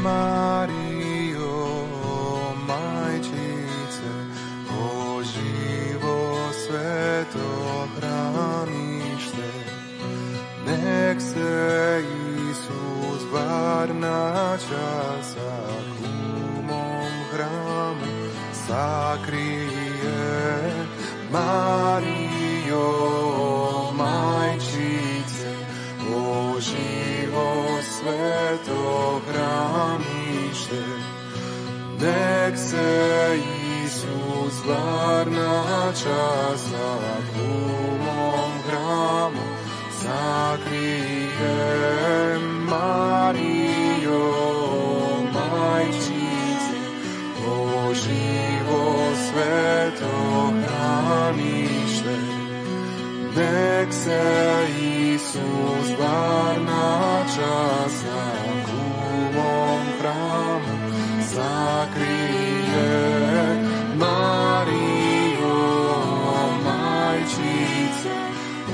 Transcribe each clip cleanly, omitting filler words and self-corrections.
Marijo, majčice, o živo sveto hranište, nek se Isus bar na časak u mom hramu sakrije. Marijo, majčice, o živo sveto hranište, nek se Isus bar na časak u mom hramu sakrije. Marijo, majčice, o živo sveto hranište, nek se Isus bar na časak u mom hramu sakrije. Marijo, majčice,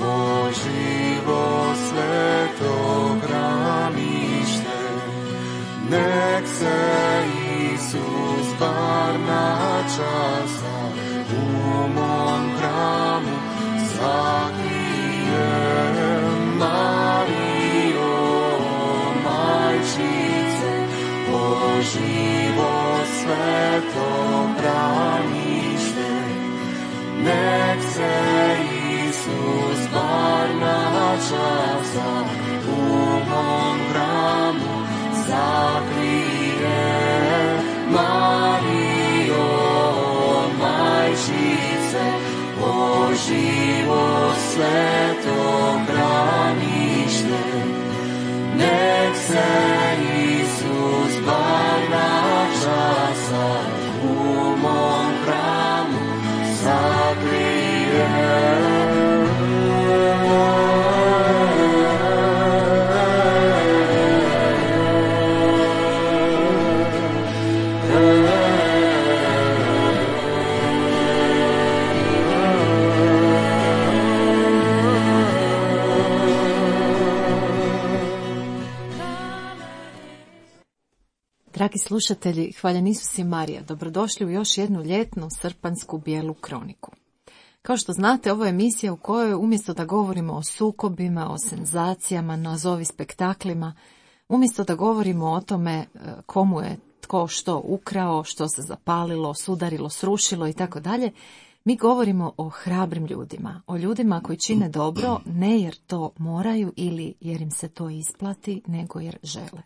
o živo sveto hranište, nek se Isus bar na časak u mom hramu sakrije. Marijo, majčice, o živo sveto hranište, nek se Isus bar na časak u mom hramu sakrije. Marijo, majčice, o živo sveto hranište, nek se Isus bar na časak u mom hramu sakrije. Dragi slušatelji, hvaljen Isus i Marija, dobrodošli u još jednu ljetnu srpanjsku bijelu kroniku. Kao što znate, ovo je emisija u kojoj umjesto da govorimo o sukobima, o senzacijama, nazovi spektaklima, umjesto da govorimo o tome komu je tko što ukrao, što se zapalilo, sudarilo, srušilo i tako dalje, mi govorimo o hrabrim ljudima, o ljudima koji čine dobro ne jer to moraju ili jer im se to isplati, nego jer žele.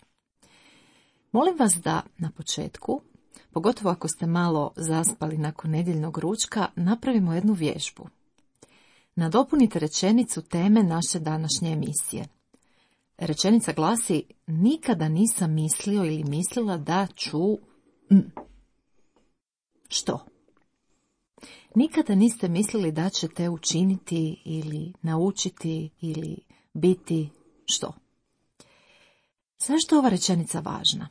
Molim vas da na početku, pogotovo ako ste malo zaspali nakon nedjeljnog ručka, napravimo jednu vježbu. Nadopunite rečenicu teme naše današnje emisije. Rečenica glasi: nikada nisam mislio ili mislila da ću... Što? Nikada niste mislili da ćete učiniti ili naučiti ili biti što? Zašto je ova rečenica važna?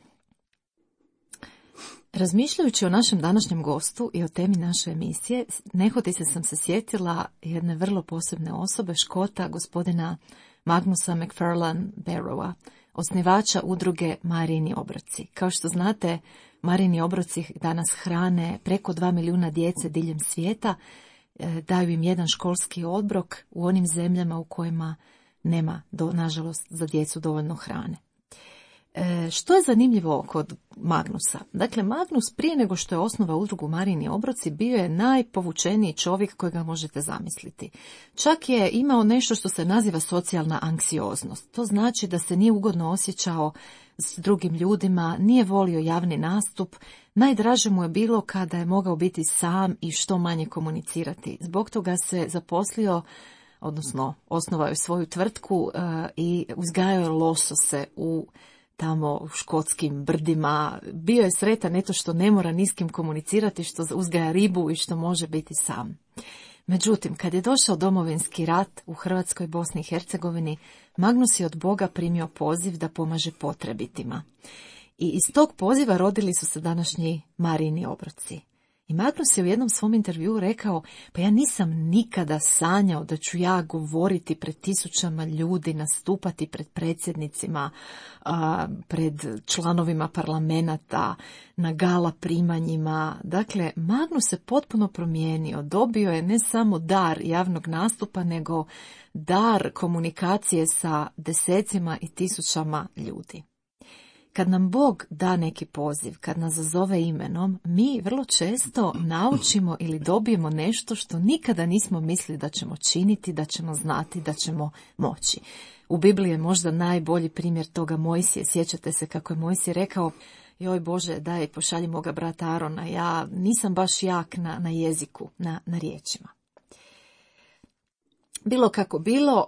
Razmišljajući o našem današnjem gostu i o temi naše emisije, nehotice sam se sjetila jedne vrlo posebne osobe, Škota, gospodina Magnusa McFarlane Barrowa, osnivača udruge Marijini obroci. Kao što znate, Marijini obroci danas hrane preko 2 milijuna djece diljem svijeta, daju im jedan školski obrok u onim zemljama u kojima nema, nažalost, za djecu dovoljno hrane. Što je zanimljivo kod Magnusa? Dakle, Magnus prije nego što je osnovao udrugu Marijini obroci bio je najpovučeniji čovjek kojega možete zamisliti. Čak je imao nešto što se naziva socijalna anksioznost. To znači da se nije ugodno osjećao s drugim ljudima, nije volio javni nastup, najdraže mu je bilo kada je mogao biti sam i što manje komunicirati. Zbog toga se zaposlio, odnosno osnovao je svoju tvrtku i uzgajao je losose u tamo u škotskim brdima. Bio je sretan eto što ne mora ni s kim komunicirati, što uzgaja ribu i što može biti sam. Međutim, kad je došao domovinski rat u Hrvatskoj, Bosni i Hercegovini, Magnus je od Boga primio poziv da pomaže potrebitima. I iz tog poziva rodili su se današnji Marijini obroci. I Magnus je u jednom svom intervjuu rekao, pa ja nisam nikada sanjao da ću ja govoriti pred tisućama ljudi, nastupati pred predsjednicima, pred članovima parlamenata, na gala primanjima. Dakle, Magnus se potpuno promijenio, dobio je ne samo dar javnog nastupa, nego dar komunikacije sa desecima i tisućama ljudi. Kad nam Bog da neki poziv, kad nas zazove imenom, mi vrlo često naučimo ili dobijemo nešto što nikada nismo mislili da ćemo činiti, da ćemo znati, da ćemo moći. U Bibliji je možda najbolji primjer toga Mojsije. Sjećate se kako je Mojsije rekao, joj Bože, daj pošalji moga brata Arona, ja nisam baš jak na jeziku, na riječima. Bilo kako bilo,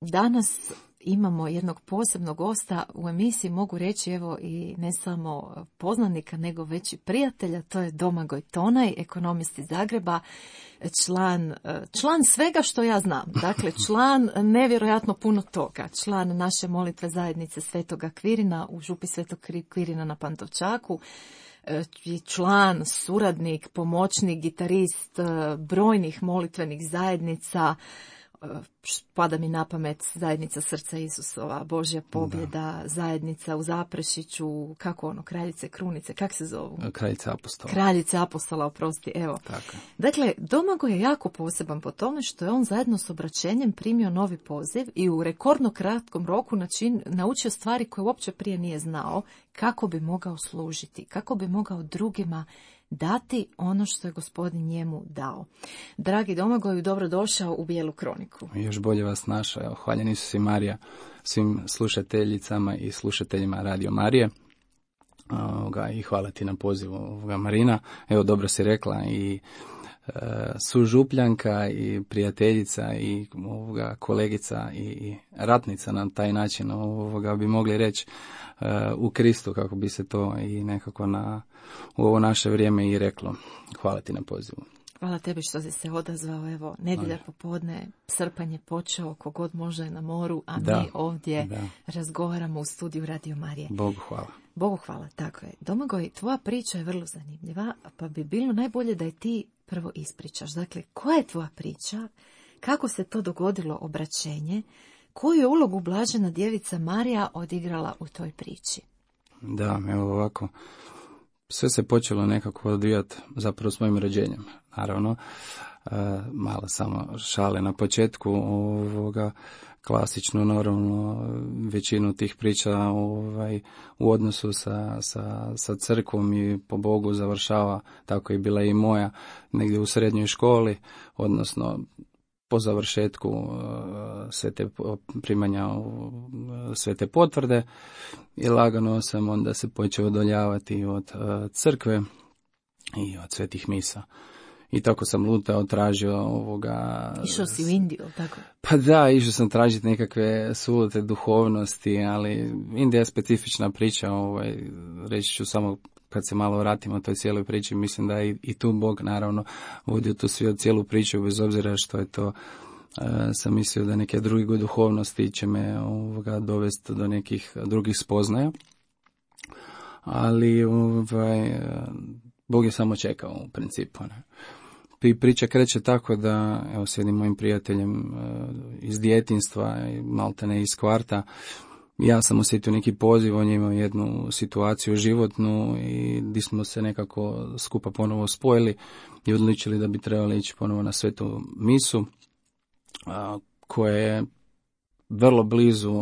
danas imamo jednog posebnog gosta u emisiji, mogu reći evo i ne samo poznanika, nego već i prijatelja, to je Domagoj Tonaj, ekonomist iz Zagreba, član svega što ja znam, dakle član nevjerojatno puno toga, član naše molitve zajednice Svetoga Kvirina u župi Svetog Kvirina na Pantovčaku, član, suradnik, pomoćnik, gitarist brojnih molitvenih zajednica. Pada mi na pamet zajednica Srca Isusova, Božja pobjeda, zajednica u Zaprešiću, kako ono, Kraljice Krunice, kak se zovu? Kraljice Apostola, oprosti, evo. Tako. Dakle, Domagoj je jako poseban po tome što je on zajedno s obraćenjem primio novi poziv i u rekordno kratkom roku naučio stvari koje uopće prije nije znao, kako bi mogao služiti, kako bi mogao drugima dati ono što je Gospodin njemu dao. Dragi Domagoju, dobrodošao u Bijelu kroniku. Još bolje vas našao. Evo, hvaljen Isus i Marija svim slušateljicama i slušateljima Radio Marije. I hvala ti na pozivu Marina. Evo, dobro si rekla, i sužupljanka i prijateljica i kolegica i ratnica na taj način bi mogli reći u Kristu, kako bi se to i nekako u ovo naše vrijeme i reklo. Hvala ti na pozivu. Hvala tebi što si se odazvao. Evo, nedjelja popodne, srpanj je počeo, kogod može je na moru, a mi ovdje razgovaramo u studiju Radio Marije. Bogu hvala. Bogu hvala, tako je. Domagoj, tvoja priča je vrlo zanimljiva, pa bi bilo najbolje da je ti prvo ispričaš. Dakle, koja je tvoja priča? Kako se to dogodilo obraćenje? Koju je ulogu Blažena djevica Marija odigrala u toj priči? Da, evo ovako. Sve se počelo nekako odvijati zapravo s mojim rođenjem. Naravno, malo samo šale na početku, klasično, naravno, većinu tih priča u odnosu sa crkvom i po Bogu završava, tako je bila i moja, negdje u srednjoj školi, odnosno po završetku primanja sve te potvrde, i lagano sam onda se počeo odaljavati od crkve i od svetih misa. I tako sam lutao, tražio Išao si u Indiju, tako? Pa da, išao sam tražiti nekakve sulute duhovnosti, ali Indija je specifična priča, reći ću samo kad se malo vratimo o toj cijeloj priči, mislim da je i tu Bog naravno vodio tu cijelu priču, bez obzira što je to, sam mislio da neke druge duhovnosti će me dovesti do nekih drugih spoznaja, ali Bog je samo čekao u principu. Ne? Priča kreće tako da, evo, s jednim mojim prijateljem iz djetinjstva, maltene iz kvarta, ja sam osjetio neki poziv, on je imao jednu situaciju životnu i gdje smo se nekako skupa ponovo spojili i odlučili da bi trebali ići ponovo na svetu misu, koja je vrlo blizu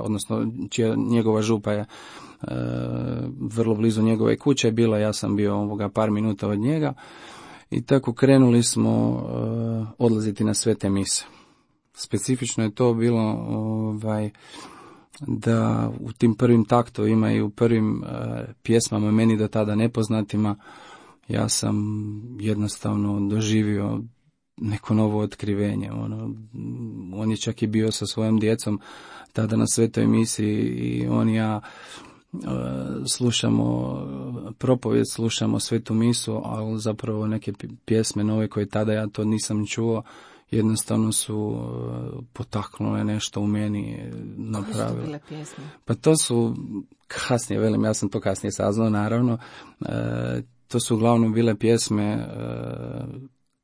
odnosno njegova župa je vrlo blizu njegove kuće je bila, ja sam bio par minuta od njega, i tako krenuli smo odlaziti na svete mise. Specifično je to bilo da u tim prvim taktovima i u prvim pjesmama meni do tada nepoznatima, ja sam jednostavno doživio neko novo otkrivenje. On je čak i bio sa svojom djecom tada na svetoj misiji i on i ja slušamo propovijed, slušamo svetu misu, ali zapravo neke pjesme nove koje tada ja to nisam čuo, jednostavno su potaknule nešto u meni, napravile. Koje su bile pjesme? Pa to su kasnije, ja sam to kasnije saznao, naravno, to su uglavnom bile pjesme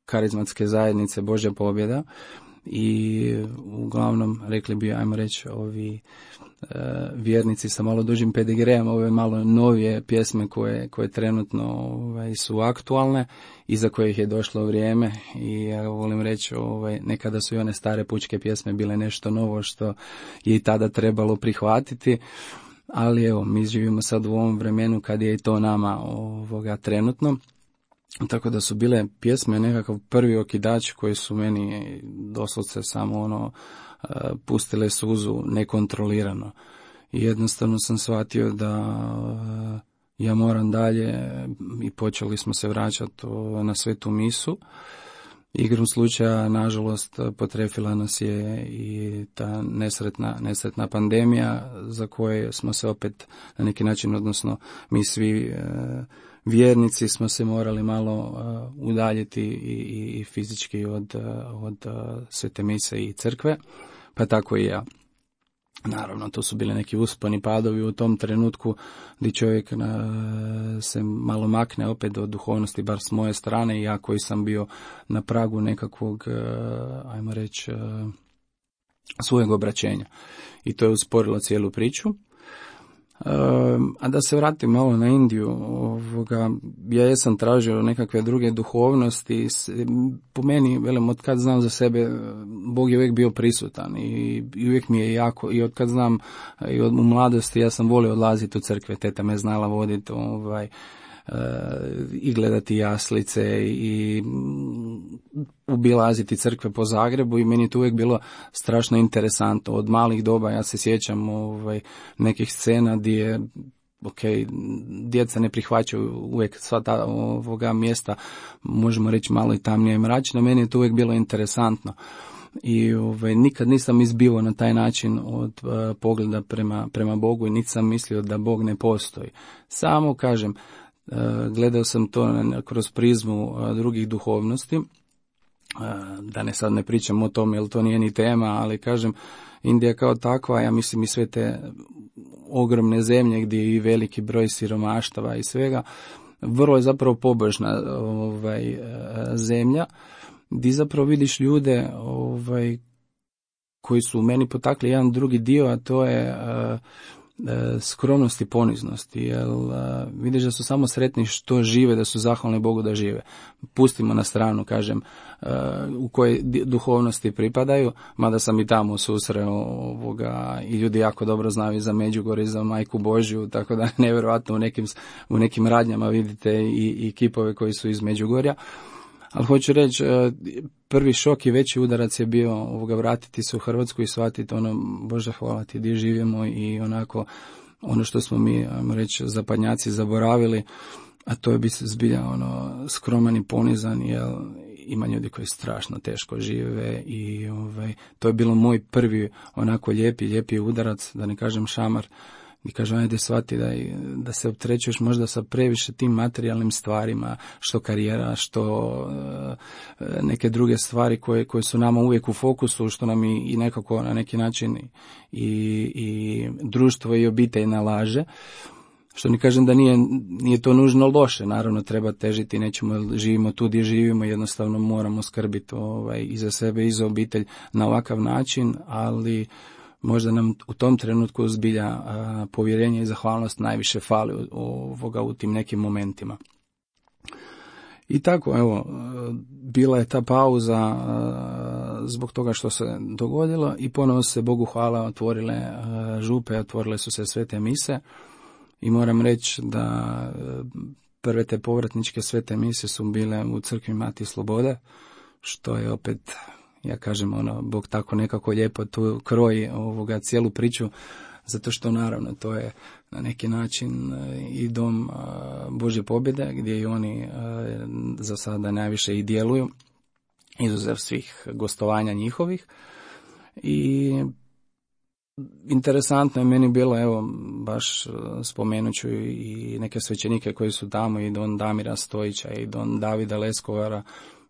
karizmatske zajednice Božja pobjeda i uglavnom, rekli bi, ajmo reći, ovi vjernici sa malo dužim pedigrejem, ove malo novije pjesme koje trenutno su aktualne i za kojih je došlo vrijeme. I ja volim reći, nekada su i one stare pučke pjesme bile nešto novo što je i tada trebalo prihvatiti, ali evo, mi živimo sad u ovom vremenu kad je i to nama trenutno. Tako da su bile pjesme nekakav prvi okidač koji su meni doslovce samo pustile suzu nekontrolirano. I jednostavno sam shvatio da ja moram dalje i počeli smo se vraćati na svetu misu. Igrom slučaja, nažalost, potrefila nas je i ta nesretna pandemija za koje smo se opet na neki način, odnosno mi svi vjernici smo se morali malo udaljiti i fizički od svete mise i crkve, pa tako i ja. Naravno, to su bili neki usponi padovi u tom trenutku gdje čovjek se malo makne opet od duhovnosti, bar s moje strane, i ja koji sam bio na pragu nekakvog, ajmo reći, svojeg obraćenja. I to je usporilo cijelu priču. A da se vratim malo na Indiju, ja jesam tražio nekakve druge duhovnosti. Po meni, velim, od kad znam za sebe, Bog je uvijek bio prisutan i uvijek mi je jako, i od kad znam i u mladosti, ja sam volio odlaziti u crkve, teta me znala voditi i gledati jaslice i obilaziti crkve po Zagrebu, i meni je to uvijek bilo strašno interesantno. Od malih doba ja se sjećam nekih scena gdje djeca ne prihvaćaju uvijek sva ta mjesta, možemo reći malo i tamnije i mračna. Meni je to uvijek bilo interesantno. I nikad nisam izbivao na taj način od pogleda prema Bogu i niti sam mislio da Bog ne postoji. Samo kažem, gledao sam to kroz prizmu drugih duhovnosti, da sad ne pričam o tome jer to nije ni tema, ali kažem, Indija kao takva, ja mislim i sve te ogromne zemlje gdje je i veliki broj siromaštava i svega, vrlo je zapravo pobožna zemlja, gdje zapravo vidiš ljude koji su u meni potakli jedan drugi dio, a to je skromnost i poniznost, jer vidiš da su samo sretni što žive, da su zahvalni Bogu da žive. Pustimo na stranu, kažem, u kojoj duhovnosti pripadaju, mada sam i tamo susreo i ljudi jako dobro znaju za Međugorje i za Majku Božju, tako da nevjerojatno u nekim radnjama vidite i kipove koji su iz Međugorja. Ali hoću reći, prvi šok i veći udarac je bio vratiti se u Hrvatsku i shvatiti Bože hvala ti gdje živimo, i onako ono što smo mi, ajmo reći, zapadnjaci zaboravili, a to je biti zbilja skroman i ponizan, jer ima ljudi koji strašno teško žive i to je bilo moj prvi onako lijepi udarac, da ne kažem šamar. I kažem, ajde shvati da se opterećuješ možda sa previše tim materijalnim stvarima, što karijera, što neke druge stvari koje su nama uvijek u fokusu, što nam i nekako na neki način i društvo i obitelj nalaže. Što ne kažem da nije to nužno loše, naravno treba težiti, nećemo, živimo tu gdje živimo, jednostavno moramo skrbiti i za sebe i za obitelj na ovakav način, ali možda nam u tom trenutku zbilja povjerenje i zahvalnost najviše fali u tim nekim momentima. I tako, evo, bila je ta pauza zbog toga što se dogodilo i ponovo se, Bogu hvala, otvorile župe, otvorile su se svete mise i moram reći da prve te povratničke svete mise su bile u crkvi Mati Slobode, što je opet, ja kažem, Bog tako nekako lijepo tu kroji cijelu priču, zato što naravno to je na neki način i dom Božje pobjede, gdje i oni za sada najviše i djeluju, izuzev svih gostovanja njihovih. I interesantno je meni bilo, evo, baš spomenuću i neke svećenike koji su tamo, i don Damira Stojića i don Davida Leskovara,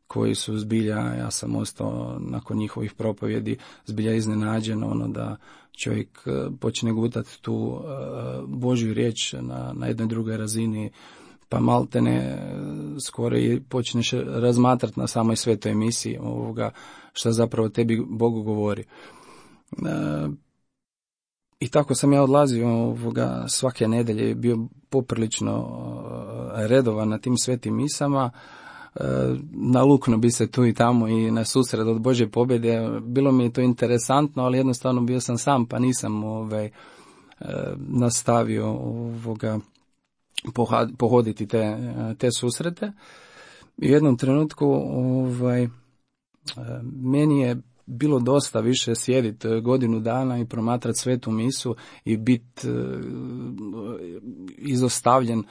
koji su zbilja, ja sam ostao nakon njihovih propovjedi zbilja iznenađen, da čovjek počne gutati tu Božju riječ na jednoj drugoj razini, pa maltene skoro i počneš razmatrati na samoj svetoj emisiji šta zapravo tebi Bog govori. I tako sam ja odlazio svake nedelje, bio poprilično redovan na tim svetim misama. Nalukno bi se tu i tamo i na susret od Božje pobjede. Bilo mi je to interesantno, ali jednostavno bio sam sam, pa nisam nastavio pohoditi te susrete. I u jednom trenutku meni je bilo dosta više sjediti godinu dana i promatrati svetu misu i biti izostavljen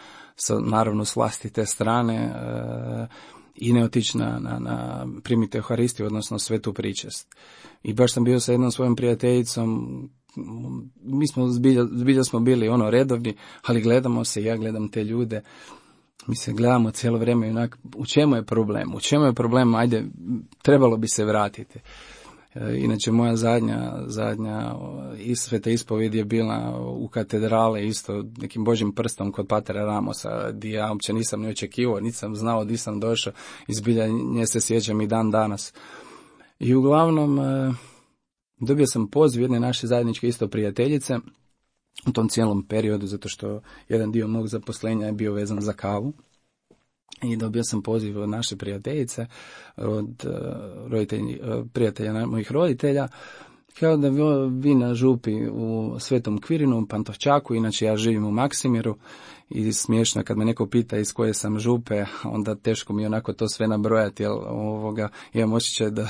naravno s vlastite strane i ne otići na primiti Euharistiju, odnosno svetu pričest. I baš sam bio sa jednom svojom prijateljicom, mi smo zbilja smo bili redovni, ali gledamo se, ja gledam te ljude, mi se gledamo cijelo vrijeme, onak, u čemu je problem, ajde, trebalo bi se vratiti. Inače, moja zadnja sveta ispovjed je bila u katedrale, isto nekim Božjim prstom kod patera Ramosa, gdje ja uopće nisam ni očekivao, nisam znao gdje sam došao, i zbilja nje se sjećam i dan danas. I uglavnom, dobio sam poziv jedne naše zajedničke isto prijateljice u tom cijelom periodu, zato što jedan dio mog zaposlenja je bio vezan za kavu. I dobio sam poziv od naše prijateljice, od prijatelja mojih roditelja, kao da vi na župi u Svetom Kvirinu, u Pantovčaku, inače ja živim u Maksimiru, i smiješno kad me neko pita iz koje sam župe, onda teško mi onako to sve nabrojati, jer imam osjećaj da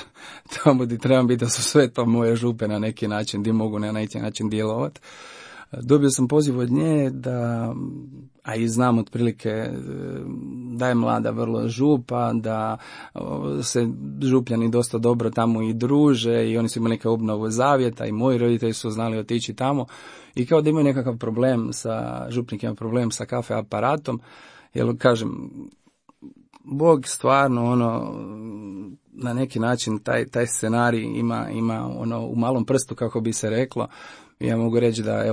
tamo gdje trebam biti da su sve to moje župe na neki način, gdje mogu na neki način djelovati. Dobio sam poziv od nje a i znam otprilike da je mlada vrlo župa, da se župljani dosta dobro tamo i druže, i oni su imali neka obnovu zavjeta i moji roditelji su znali otići tamo, i kao da imaju nekakav problem župnik ima problem sa kafe aparatom, jer kažem, Bog stvarno na neki način taj scenarij ima u malom prstu, kako bi se reklo. Ja mogu reći da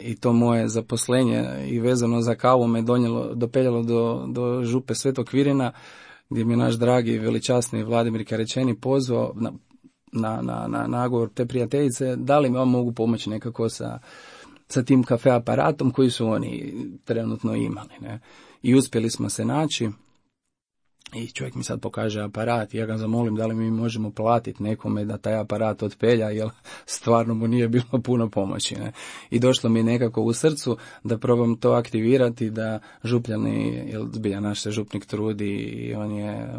i to moje zaposlenje i vezano za kavu me dopeljalo do župe Svetog Kvirina, gdje mi je naš dragi veličasni Vladimir Karečeni pozvao na nagovor te prijateljice, da li mi on mogu pomoći nekako sa tim kafe aparatom koji su oni trenutno imali. Ne? I uspjeli smo se naći. I čovjek mi sad pokaže aparat i ja ga zamolim da li mi možemo platiti nekome da taj aparat otpelja, jer stvarno mu nije bilo puno pomoći. Ne? I došlo mi nekako u srcu da probam to aktivirati, da župljani, jer zbilja naš se župnik trudi i on je,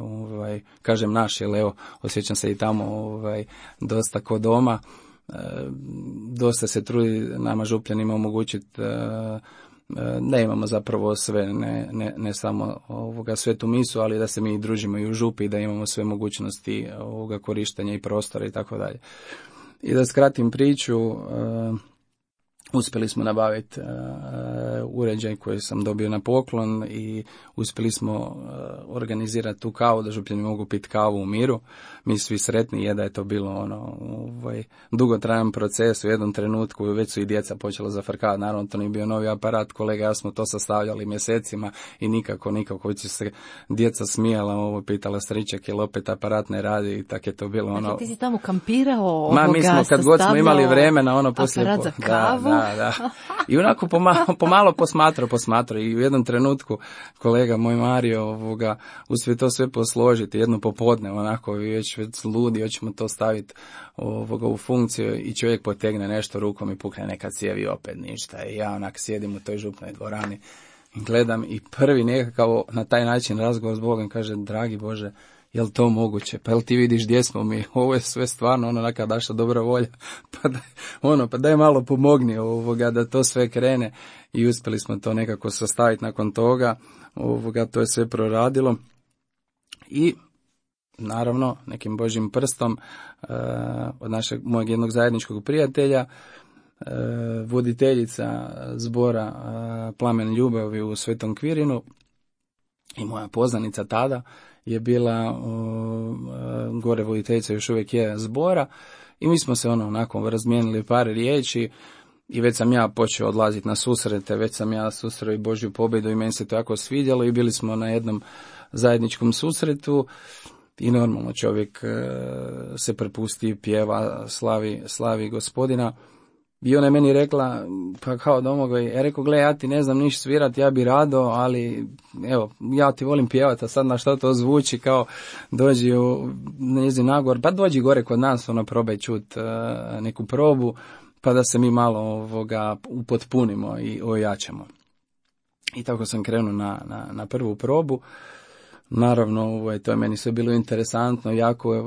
kažem naš, jer osjećam se i tamo dosta ko doma, dosta se trudi nama župljanima omogućiti da imamo zapravo sve, ne samo svetu misu, ali da se mi družimo i u župi, da imamo sve mogućnosti korištenja i prostora i tako dalje. I da skratim priču, uspjeli smo nabaviti uređaj koji sam dobio na poklon i uspjeli smo organizirati tu kavu, da župljani mogu piti kavu u miru. Mi svi sretni, je da je to bilo dugotrajan proces. U jednom trenutku već su i djeca počela zafrkavati, naravno to nije bio novi aparat, kolega ja smo to sastavljali mjesecima i nikako će se djeca smijala, pitala striček jel opet aparat ne radi, i tako je to bilo. Dakle, ti si tamo kampirao mi smo kad god smo imali vremena poslije aparat za kavu. Da. I onako pomalo posmatrao i u jednom trenutku kolega moj Mario uspije to sve posložiti jedno popodne, onako već ludi, hoćemo to staviti u funkciju, i čovjek potegne nešto rukom i pukne neka cijev i opet ništa. I ja onak sjedim u toj župnoj dvorani i gledam, i prvi nekakav na taj način razgovor s Bogom, kaže, dragi Bože, jel to moguće? Pa jel ti vidiš gdje smo mi? Ovo je sve stvarno neka naša dobra volja. Pa daj malo pomogni da to sve krene. I uspjeli smo to nekako sastaviti nakon toga. To je sve proradilo. I naravno nekim Božjim prstom od mojeg jednog zajedničkog prijatelja, voditeljica zbora Plamen ljubavi u Svetom Kvirinu i moja poznanica tada je bila gore voditeljica, još uvijek je zbora, i mi smo se onako razmijenili par riječi i već sam ja počeo odlaziti na susrete, već sam ja susreo i Božju pobjedu i meni se to jako svidjelo i bili smo na jednom zajedničkom susretu i normalno čovjek se prepusti, pjeva, slavi Gospodina. I ona je meni rekla, pa kao Domagoj, ja rekao, gle, ja ti ne znam niš svirati, ja bi rado, ali evo, ja ti volim pjevati, a sad na što to zvuči, kao dođi u njezin nagor, pa dođi gore kod nas, probaj čut neku probu, pa da se mi malo upotpunimo i ojačamo. I tako sam krenuo na prvu probu. Naravno, to je meni sve bilo interesantno, jako je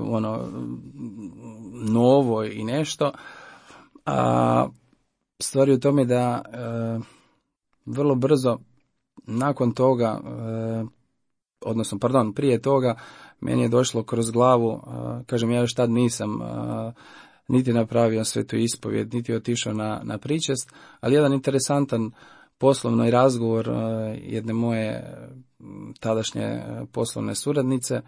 novo i nešto. A stvar je u tome da vrlo brzo nakon toga, prije toga, meni je došlo kroz glavu, kažem, ja još tad nisam niti napravio svetu ispovjed, niti otišao na pričest, ali jedan interesantan poslovni razgovor jedne moje tadašnje poslovne suradnice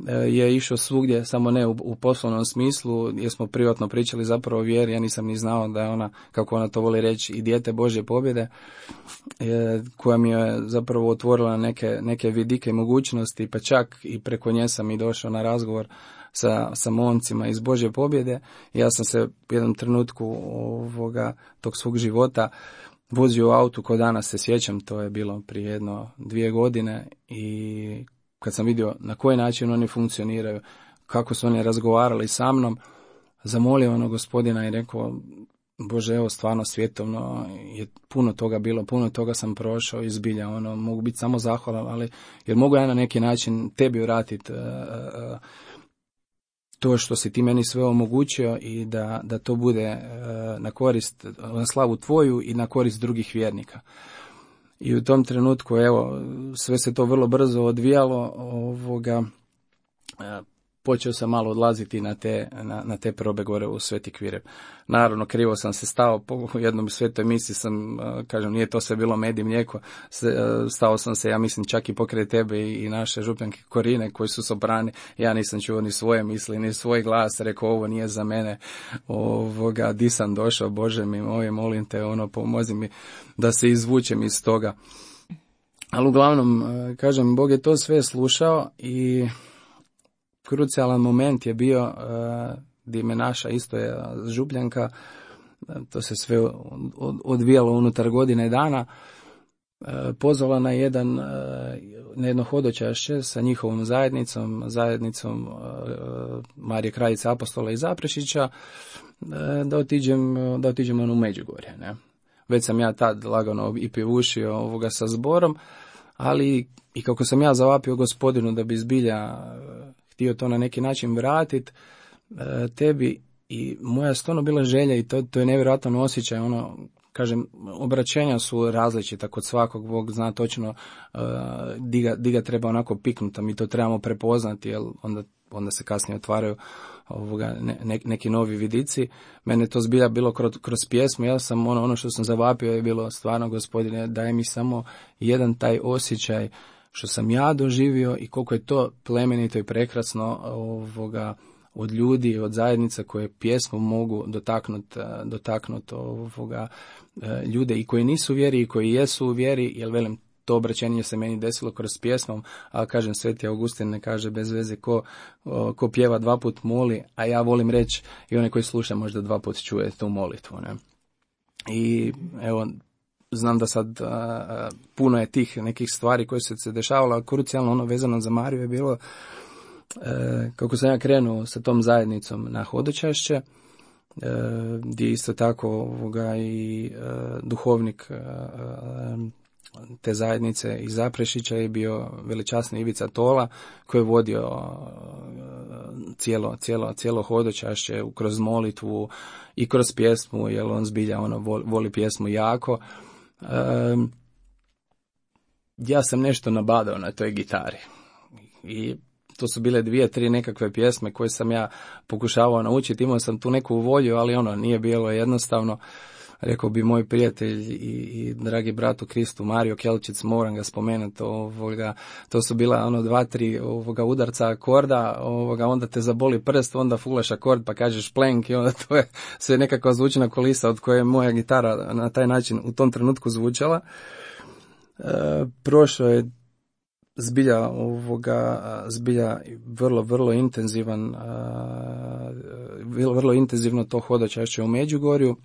je išao svugdje, samo ne u poslovnom smislu, jer smo privatno pričali zapravo o vjeri, ja nisam ni znao da je ona, kako ona to voli reći, i dijete Božje pobjede, koja mi je zapravo otvorila neke vidike i mogućnosti, pa čak i preko nje sam i došao na razgovor sa momcima iz Božje pobjede. Ja sam se u jednom trenutku tog svog života vozio u autu, ko danas se sjećam, to je bilo prije 2 godine, i kad sam vidio na koji način oni funkcioniraju, kako su oni razgovarali sa mnom, zamolio Gospodina i rekao, Bože, evo stvarno svjetovno je puno toga bilo, puno toga sam prošao i zbilja, mogu biti samo zahvalan, ali jer mogu ja na neki način tebi vratiti to što si ti meni sve omogućio i da to bude na korist, na slavu tvoju i na korist drugih vjernika. I u tom trenutku, evo, sve se to vrlo brzo odvijalo, počeo sam malo odlaziti na te probe gore u Sveti Kvirep. Naravno, krivo sam se stao, po jednom svetoj misiji sam, kažem, nije to sve bilo med i mlijeko, stao sam se, ja mislim, čak i pokraj tebe i naše župljanke Korine, koji su soprani, ja nisam čuo ni svoje misli, ni svoj glas, rekao, ovo nije za mene, di sam došao, Bože mi moj, molim te, pomozi mi da se izvučem iz toga. Ali uglavnom, kažem, Bog je to sve slušao i krucijalan moment je bio gdje me naša isto je župljanka, to se sve odvijalo unutar godine dana, pozvala na jedno hodočašće sa njihovom zajednicom Marije Kraljice Apostola i Zaprešića, da otiđemo u Međugorje. Ne? Već sam ja tad lagano i pjevušio sa zborom, ali i kako sam ja zavapio Gospodinu da bi zbilja htio to na neki način vratiti tebi, i moja stvarno bila želja, i to je nevjerojatan osjećaj, kažem, obraćenja su različita kod svakog, Bog zna točno di ga treba onako piknuti, mi to trebamo prepoznati, jer onda se kasnije otvaraju neki novi vidici. Mene to zbilja bilo kroz pjesmu, ja sam ono što sam zavapio je bilo, stvarno Gospodine, daj mi samo jedan taj osjećaj što sam ja doživio i koliko je to plemenito i prekrasno od ljudi, od zajednica koje pjesmom mogu dotaknuti ljude i koji nisu u vjeri i koji jesu u vjeri, jer velim, to obraćenje se meni desilo kroz pjesmom, a kažem, Sveti Augustin ne kaže bez veze ko pjeva 2 put moli, a ja volim reći i onaj koji sluša možda 2 put čuje tu molitvu. Ne? I evo, znam da sad puno je tih nekih stvari koje se dešavalo, a krucijalno vezano za Mariju je bilo kako sam ja krenuo sa tom zajednicom na hodočašće, gdje isto tako i duhovnik te zajednice iz Zaprešića je bio veličasni Ivica Tola, koji je vodio cijelo hodočašće kroz molitvu i kroz pjesmu, jer on zbilja voli pjesmu jako. Ja sam nešto nabadao na toj gitari i to su bile 2-3 nekakve pjesme koje sam ja pokušavao naučiti, imao sam tu neku volju, ali nije bilo jednostavno. rekao bi moj prijatelj i dragi brat u Kristu Mario Kelčić, moram ga spomenuti, to su bila 2-3 udarca akorda, onda te zaboli prst, onda fulaš akord pa kažeš plenk i onda to je sve nekakva zvučna kulisa od koje je moja gitara na taj način u tom trenutku zvučala. Prošlo je zbilja vrlo intenzivan, vrlo intenzivno to hodočašće u Međugorju,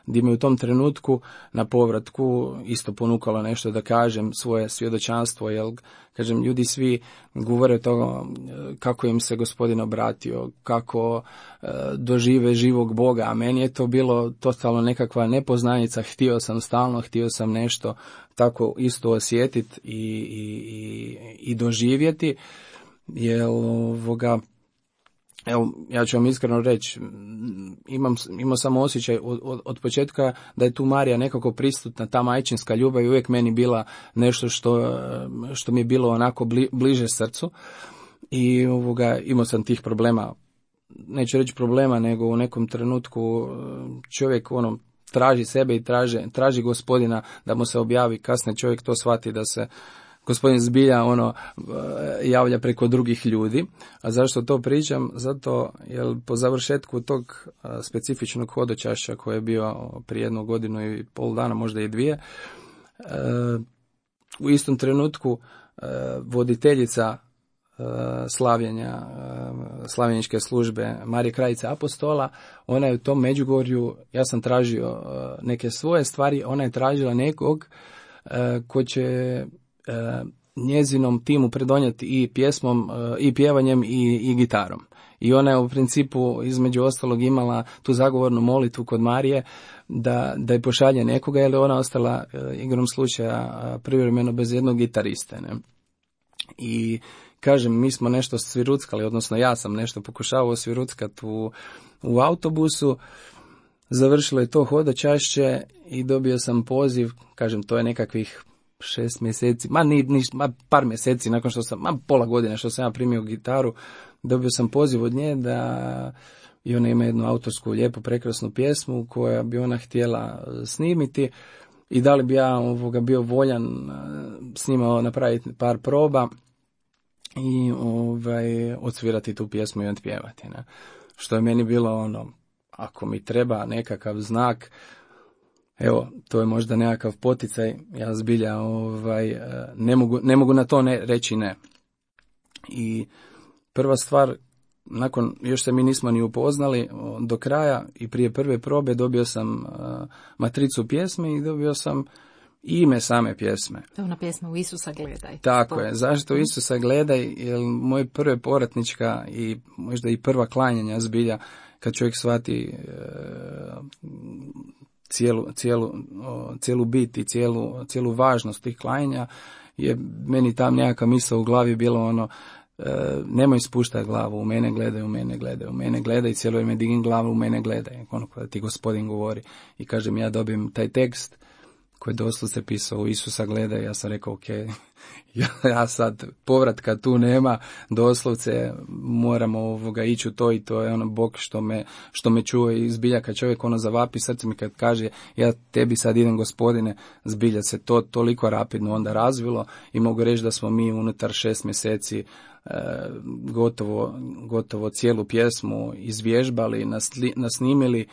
gdje mi u tom trenutku na povratku isto ponukalo nešto da kažem svoje svjedočanstvo, jer kažem, ljudi svi govore toga kako im se Gospodin obratio, kako dožive živog Boga, a meni je to bilo totalno nekakva nepoznanica, htio sam nešto tako isto osjetiti i doživjeti, jer evo, ja ću vam iskreno reći, imao sam osjećaj od početka da je tu Marija nekako prisutna, ta majčinska ljubav je uvijek meni bila nešto što mi je bilo onako bliže srcu i imao sam tih problema, neću reći problema, nego u nekom trenutku čovjek traži sebe i traži Gospodina da mu se objavi, kasnije čovjek to shvati da se Gospodin zbilja javlja preko drugih ljudi. A zašto to pričam? Zato jer po završetku tog specifičnog hodočašća koji je bio prije 1 godinu i pol dana, možda i 2, u istom trenutku voditeljica slavljenja, slavljeničke službe Marije Krajice Apostola, ona je u tom Međugorju, ja sam tražio neke svoje stvari, ona je tražila nekog ko će njezinom timu pridonijeti i pjesmom i pjevanjem i gitarom. I ona je u principu između ostalog imala tu zagovornu molitvu kod Marije da je pošalje nekoga, jer je ona ostala igrom slučaja privremeno bez jednog gitariste. Ne? I kažem, mi smo nešto sviruckali, odnosno ja sam nešto pokušavao sviruckati u autobusu, završilo je to hodočašće i dobio sam poziv, kažem, to je nekakvih 6 mjeseci, par mjeseci nakon što sam, pola godine što sam ja primio gitaru, dobio sam poziv od nje da i ona ima jednu autorsku lijepu prekrasnu pjesmu koja bi ona htjela snimiti i da li bi ja bio voljan s njima napraviti par proba i odsvirati tu pjesmu i otpjevati. Ne? Što je meni bilo ako mi treba nekakav znak, evo, to je možda nekakav poticaj, ja zbilja ne mogu na to reći ne. I prva stvar, nakon, još se mi nismo ni upoznali do kraja i prije prve probe dobio sam matricu pjesme i dobio sam ime same pjesme. To je ona pjesma U Isusa gledaj. Tako je, zašto U Isusa gledaj, jer moje prve povratnička i možda i prva klanjanja zbilja, kad čovjek shvati cijelu bit i cijelu važnost tih klanjanja, je meni tam nekakva misao u glavi bilo nemoj spuštati glavu, u mene gledaj, cijelo vrijeme digni glavu, u mene gledaj, kada ti Gospodin govori. I kažem, ja dobijem taj tekst koji je doslovce pisao U Isusa gledaj, ja sam rekao, ok, ja sad povratka tu nema, doslovce moramo ići u to i to je Bog što me čuje i zbilja kad čovjek zavapi srce mi kad kaže ja tebi sad idem Gospodine, zbilja se to toliko rapidno onda razvilo i mogu reći da smo mi unutar 6 mjeseci gotovo cijelu pjesmu izvježbali, nasnimili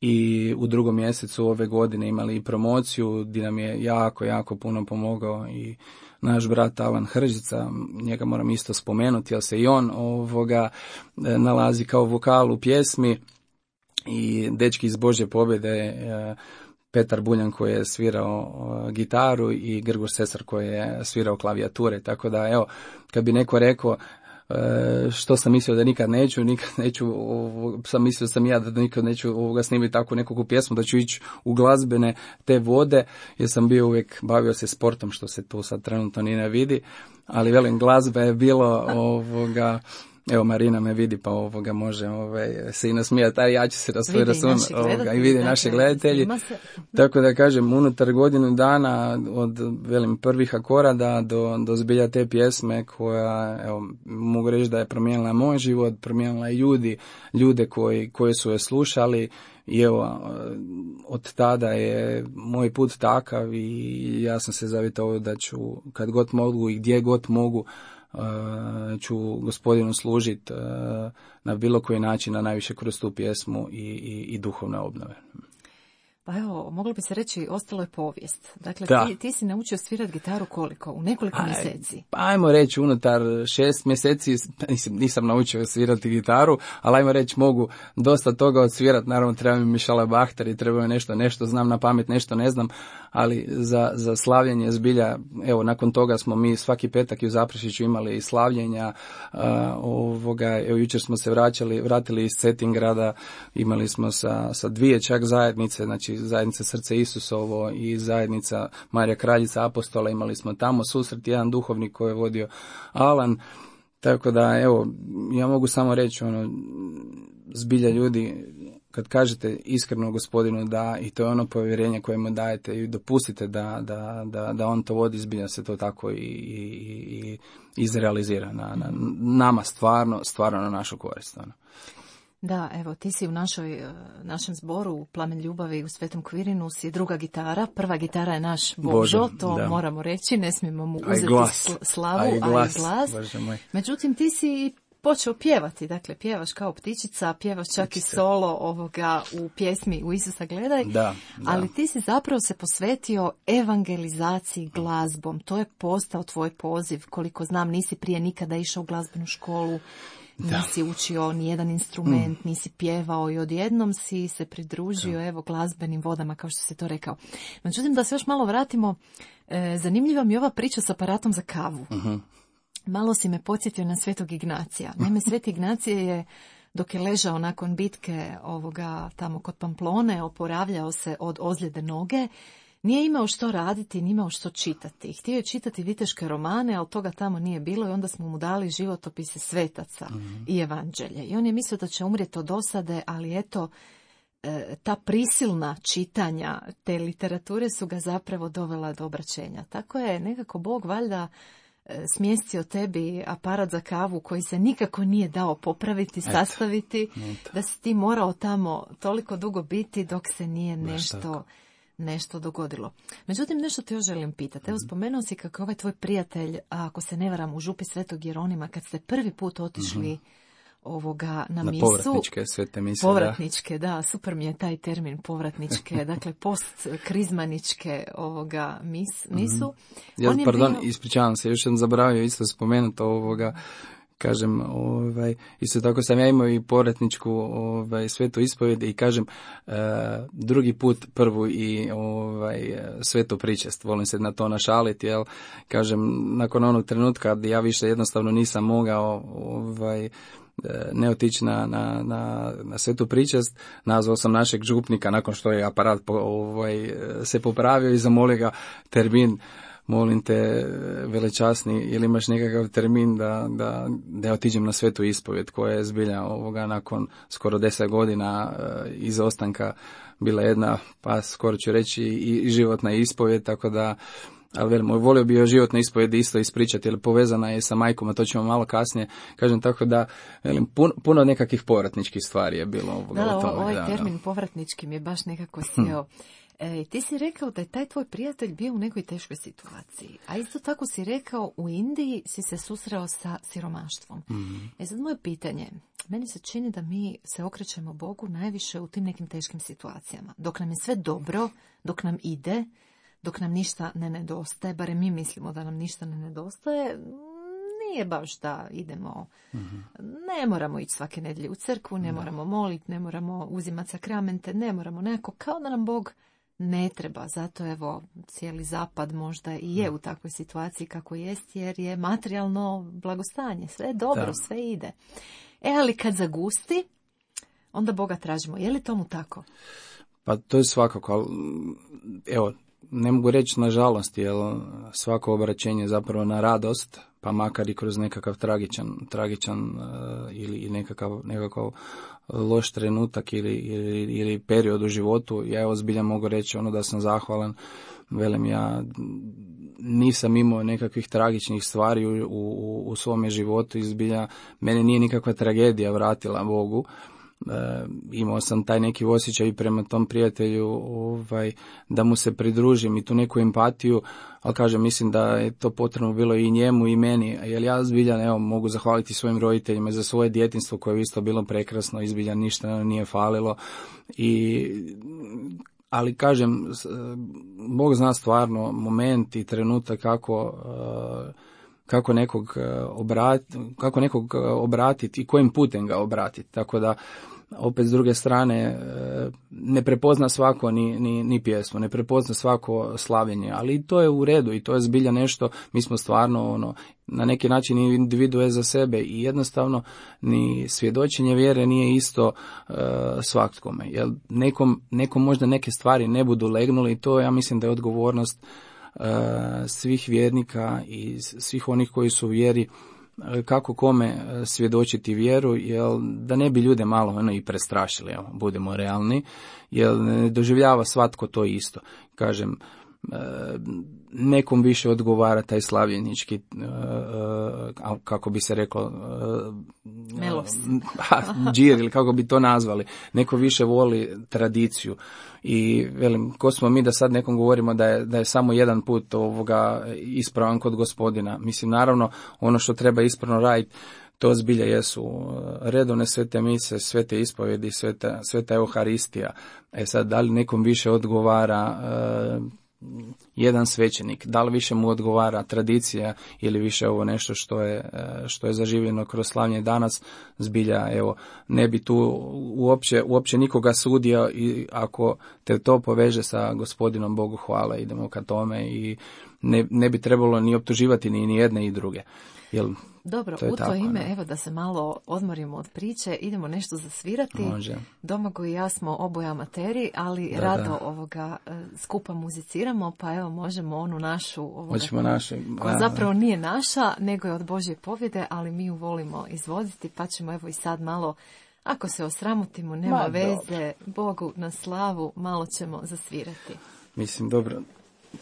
i u 2. mjesecu ove godine imali i promociju gdje nam je jako puno pomogao i naš brat Alan Hržica, njega moram isto spomenuti, jer se i on nalazi kao vokal u pjesmi i dečki iz Božje pobjede, Petar Buljan koji je svirao gitaru i Grgur Sesar koji je svirao klavijature, tako da evo, kad bi neko rekao što sam mislio da nikad neću, sam mislio sam ja da nikad neću snimiti takvu nekakvu pjesmu, da ću ići u glazbene te vode, jer sam bio uvijek bavio se sportom, što se tu sad trenutno ni ne vidi, ali velim, glazba je bilo evo Marina me vidi pa može se i nasmijati, a ja ću se na svoj račun i vidi naši gledatelji. Tako da kažem, unutar godinu dana od prvih akorada do zbilja te pjesme koja, evo, mogu reći da je promijenila moj život, promijenila i ljude koji su je slušali. I evo, od tada je moj put takav i ja sam se zavitao da ću kad god mogu i gdje god mogu ću Gospodinu služiti na bilo koji način, a najviše kroz tu pjesmu i duhovne obnove. Pa evo, moglo bi se reći, ostalo je povijest. Dakle, ti si naučio svirati gitaru koliko? U nekoliko mjeseci? Pa ajmo reći, unutar 6 mjeseci nisam naučio svirati gitaru, ali ajmo reći, mogu dosta toga odsvirati. Naravno, treba mi Mišala Bahter i treba mi nešto znam na pamet, nešto ne znam, ali za slavljenje zbilja, evo, nakon toga smo mi svaki petak i u Zaprešiću imali slavljenja, evo, jučer smo se vratili iz Cetingrada, imali smo sa dvije čak zajednice, znači zajednica Srce Isusovo i zajednica Marija Kraljica Apostola, imali smo tamo susret, jedan duhovnik koji je vodio Alan, tako da, evo, ja mogu samo reći, zbilja ljudi, kad kažete iskreno Gospodinu da, i to je ono povjerenje koje mu dajete i dopustite da on to vodi, zbilja se to tako i izrealizira na nama stvarno na našu korist. Da, evo, ti si u našem zboru u Plamen ljubavi u Svetom Kvirinu si druga gitara. Prva gitara je naš Božo, to da. Moramo reći, ne smijemo mu uzeti slavu, a i glas. Međutim, ti si počeo pjevati, dakle, pjevaš kao ptičica, pjevaš čak i solo u pjesmi U Isusa gledaj, ali ti si zapravo se posvetio evangelizaciji glazbom. To je postao tvoj poziv, koliko znam, nisi prije nikada išao u glazbenu školu, nisi učio nijedan instrument, nisi pjevao i odjednom si se pridružio glazbenim vodama, kao što si to rekao. Međutim, da se još malo vratimo, zanimljiva mi je ova priča s aparatom za kavu. Malo si me podsjetio na Svetog Ignacija. Naime, Sveti Ignacije je, dok je ležao nakon bitke tamo kod Pamplone, oporavljao se od ozljede noge, nije imao što raditi, nije imao što čitati. Htio je čitati viteške romane, ali toga tamo nije bilo i onda smo mu dali životopise svetaca i evanđelje. I on je mislio da će umrijeti od dosade, ali eto, ta prisilna čitanja te literature su ga zapravo dovela do obraćenja. Tako je nekako Bog valjda smjestio tebi aparat za kavu koji se nikako nije dao popraviti, sastaviti, da si ti morao tamo toliko dugo biti dok se nije nešto dogodilo. Međutim, nešto te još želim pitati. Evo, spomenuo si kako ovaj tvoj prijatelj, ako se ne varam, u župi Svetog Jeronima, kad ste prvi put otišli na misu. Povratničke svete mise. Povratničke, da, super mi je taj termin povratničke, dakle postkrizmaničke misu. Ispričavam se, još sam zaboravio isto spomenuti kažem, isto tako sam ja imao i povratničku svetu ispovjed i kažem drugi put prvu i svetu pričest. Volim se na to našaliti, jel? Kažem, nakon onog trenutka ja više jednostavno nisam mogao ne otići na svetu pričest, nazvao sam našeg župnika nakon što je aparat se popravio i zamolio ga termin. Molim te, velečasni, ili imaš nekakav termin da ja otiđem na svetu ispovjed, koja je zbilja nakon skoro 10 godina izostanka bila jedna, pa skoro ću reći i životna ispovjed, tako da, ali velim, volio bi joj životna ispovjed isto ispričati, jer povezana je sa majkom, a to ćemo malo kasnije, kažem, tako da, velim, puno nekakvih povratničkih stvari je bilo. Ovaj termin povratnički mi je baš nekako sjeo. Ti si rekao da je taj tvoj prijatelj bio u nekoj teškoj situaciji, a isto tako si rekao u Indiji si se susreo sa siromaštvom. Sad moje pitanje, meni se čini da mi se okrećemo Bogu najviše u tim nekim teškim situacijama. Dok nam je sve dobro, dok nam ide, dok nam ništa ne nedostaje, barem mi mislimo da nam ništa ne nedostaje, nije baš da idemo, ne moramo ići svake nedjelje u crkvu, ne moramo moliti, ne moramo uzimati sakramente, ne moramo nekako, kao da nam Bog ne treba. Zato evo, cijeli zapad možda i je u takvoj situaciji kako jest, jer je materijalno blagostanje, sve je dobro, sve ide. Ali kad zagusti, onda Boga tražimo. Je li tomu tako? Pa to je svakako, ali evo, ne mogu reći nažalost, jer svako obraćenje je zapravo na radost, pa makar i kroz nekakav tragičan ili nekakav loš trenutak ili period u životu. Ja evo zbilja mogu reći da sam zahvalan. Velim, ja nisam imao nekakvih tragičnih stvari u svome životu i zbilja mene nije nikakva tragedija vratila Bogu. Imao sam taj neki osjećaj prema tom prijatelju da mu se pridružim i tu neku empatiju, ali kažem, mislim da je to potrebno bilo i njemu i meni, jer ja zbilja mogu zahvaliti svojim roditeljima za svoje djetinjstvo koje je isto bilo prekrasno i zbilja ništa nije falilo. Ali kažem, Bog zna stvarno moment i trenutak kako nekog obratiti i kojim putem ga obratiti. Tako da, opet s druge strane, ne prepozna svako ni pjesmu, ne prepozna svako slavljenje, ali to je u redu i to je zbilja nešto, mi smo stvarno na neki način individue za sebe i jednostavno ni svjedočenje vjere nije isto svakome. Jer nekom možda neke stvari ne budu legnuli i to ja mislim da je odgovornost svih vjernika i svih onih koji su u vjeri, kako kome svjedočiti vjeru, jer da ne bi ljude malo i prestrašili, budemo realni, jer ne doživljava svatko to isto. Kažem, nekom više odgovara taj slavljenički, kako bi se reklo, džir ili kako bi to nazvali. Neko više voli tradiciju. I velim, ko smo mi da sad nekom govorimo da je samo jedan put ispravan kod Gospodina. Mislim, naravno, ono što treba ispravno raditi, to zbilja jesu redovne svete mise, svete ispovjedi, sveta Euharistija. Sad, da li nekom više odgovara jedan svećenik, da li više mu odgovara tradicija ili više ovo nešto što je zaživljeno kroz slavljenje danas, zbilja, ne bi tu uopće nikoga sudio i ako te to poveže sa Gospodinom, Bogu hvala, idemo ka tome i ne bi trebalo ni optuživati ni jedne i druge. Dobro, u to ime, evo da se malo odmorimo od priče, idemo nešto zasvirati. Može. Domagoj i ja smo oboje amateri, ali rado ovoga skupa muziciramo, pa evo možemo onu našu, koja zapravo nije naša, nego je od Božje pobjede, ali mi ju volimo izvoditi, pa ćemo evo i sad malo, ako se osramotimo, nema veze, Bogu na slavu, malo ćemo zasvirati. Mislim, dobro.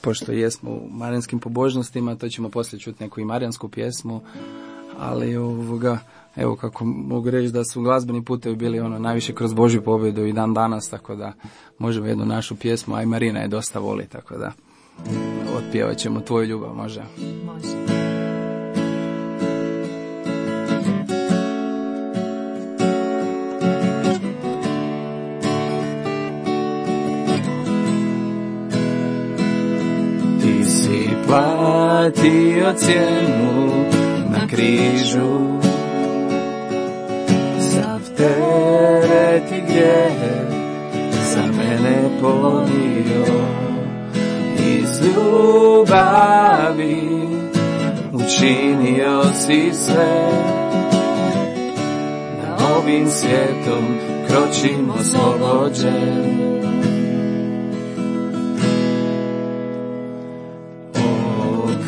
Pošto jesmo u marijanskim pobožnostima, to ćemo poslije čuti neku i marijansku pjesmu, ali evo kako mogu reći da su glazbeni putevi bili najviše kroz Božju pobjedu i dan danas, tako da možemo jednu našu pjesmu, a i Marina je dosta voli, tako da otpjevat ćemo Tvoju ljubav, može? Može. Platio cijenu na križu, sav teret i grijeh za mene ponio. Iz ljubavi učinio si sve, da ovim svijetom kročim oslobođen.